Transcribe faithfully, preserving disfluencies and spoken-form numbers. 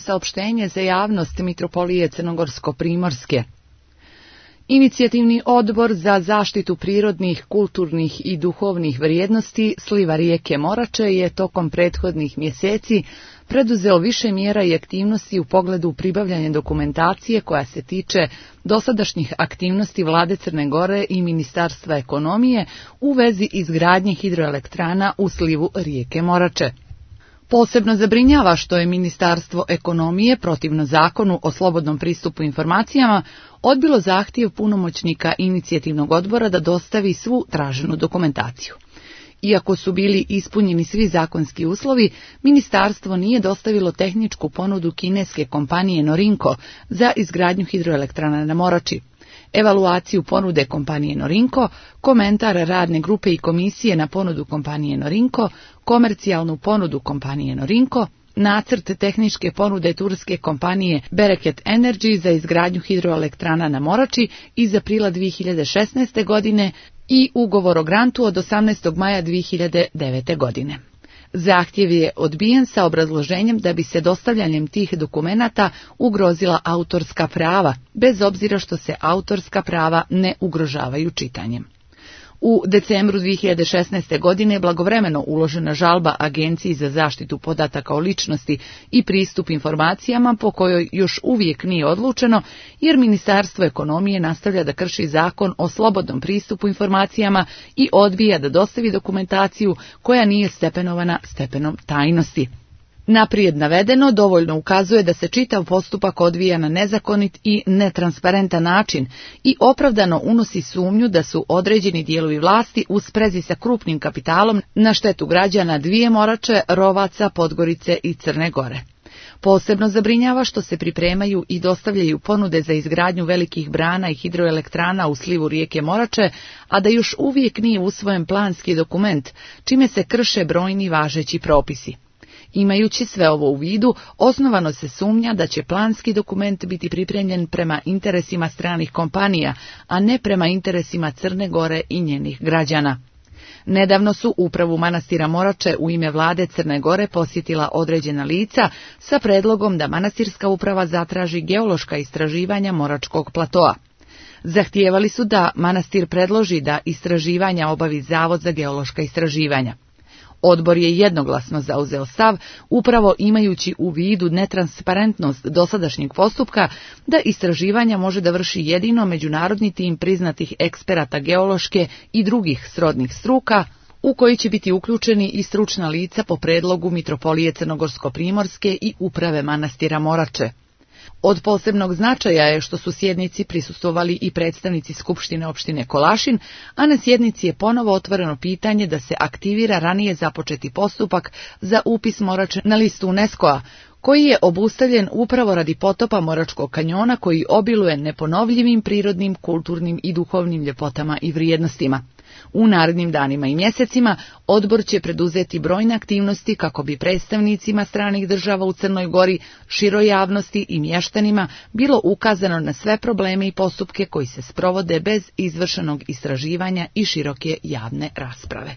Saopštenje za javnost Mitropolije Crnogorsko-Primorske. Inicijativni odbor za zaštitu prirodnih, kulturnih i duhovnih vrijednosti sliva rijeke Morače je tokom prethodnih mjeseci preduzeo više mjera i aktivnosti u pogledu pribavljanja dokumentacije koja se tiče dosadašnjih aktivnosti Vlade Crne Gore i Ministarstva ekonomije u vezi izgradnje hidroelektrana u slivu rijeke Morače. Posebno zabrinjava što je Ministarstvo ekonomije, protivno zakonu o slobodnom pristupu informacijama, odbilo zahtjev punomoćnika inicijativnog odbora da dostavi svu traženu dokumentaciju. Iako su bili ispunjeni svi zakonski uslovi, ministarstvo nije dostavilo tehničku ponudu kineske kompanije Norinco za izgradnju hidroelektrana na Morači, evaluaciju ponude kompanije Norinco, komentar radne grupe i komisije na ponudu kompanije Norinco, komercijalnu ponudu kompanije Norinco, nacrt tehničke ponude turske kompanije Bereket Energy za izgradnju hidroelektrana na Morači iz aprila dvije hiljade šesnaeste. godine i ugovor o grantu od osamnaestog maja dvije hiljade devete. godine. Zahtjev je odbijen sa obrazloženjem da bi se dostavljanjem tih dokumenata ugrozila autorska prava, bez obzira što se autorska prava ne ugrožavaju čitanjem. U decembru dvije hiljade šesnaeste. godine blagovremeno uložena žalba Agenciji za zaštitu podataka o ličnosti i pristup informacijama po kojoj još uvijek nije odlučeno, jer Ministarstvo ekonomije nastavlja da krši zakon o slobodnom pristupu informacijama i odbija da dostavi dokumentaciju koja nije stepenovana stepenom tajnosti. Naprijed navedeno dovoljno ukazuje da se čitav postupak odvija na nezakonit i netransparentan način i opravdano unosi sumnju da su određeni dijelovi vlasti u sprezi sa krupnim kapitalom na štetu građana dvije Morače, Rovaca, Podgorice i Crne Gore. Posebno zabrinjava što se pripremaju i dostavljaju ponude za izgradnju velikih brana i hidroelektrana u slivu rijeke Morače, a da još uvijek nije usvojen planski dokument, čime se krše brojni važeći propisi. Imajući sve ovo u vidu, osnovano se sumnja da će planski dokument biti pripremljen prema interesima stranih kompanija, a ne prema interesima Crne Gore i njenih građana. Nedavno su upravu manastira Morače u ime vlade Crne Gore posjetila određena lica sa predlogom da manastirska uprava zatraži geološka istraživanja Moračkog platoa. Zahtijevali su da manastir predloži da istraživanja obavi Zavod za geološka istraživanja. Odbor je jednoglasno zauzeo stav, upravo imajući u vidu netransparentnost dosadašnjeg postupka, da istraživanja može da vrši jedino međunarodni tim priznatih eksperata geološke i drugih srodnih struka, u koji će biti uključeni i stručna lica po predlogu Mitropolije Crnogorsko-Primorske i uprave manastira Morače. Od posebnog značaja je što su sjednici prisustvovali i predstavnici Skupštine opštine Kolašin, a na sjednici je ponovo otvoreno pitanje da se aktivira ranije započeti postupak za upis Morače na listu UNESCO-a, koji je obustavljen upravo radi potopa Moračkog kanjona koji obiluje neponovljivim prirodnim, kulturnim i duhovnim ljepotama i vrijednostima. U narednim danima i mjesecima odbor će preduzeti brojne aktivnosti kako bi predstavnicima stranih država u Crnoj Gori, široj javnosti i mještanima bilo ukazano na sve probleme i postupke koji se sprovode bez izvršenog istraživanja i široke javne rasprave.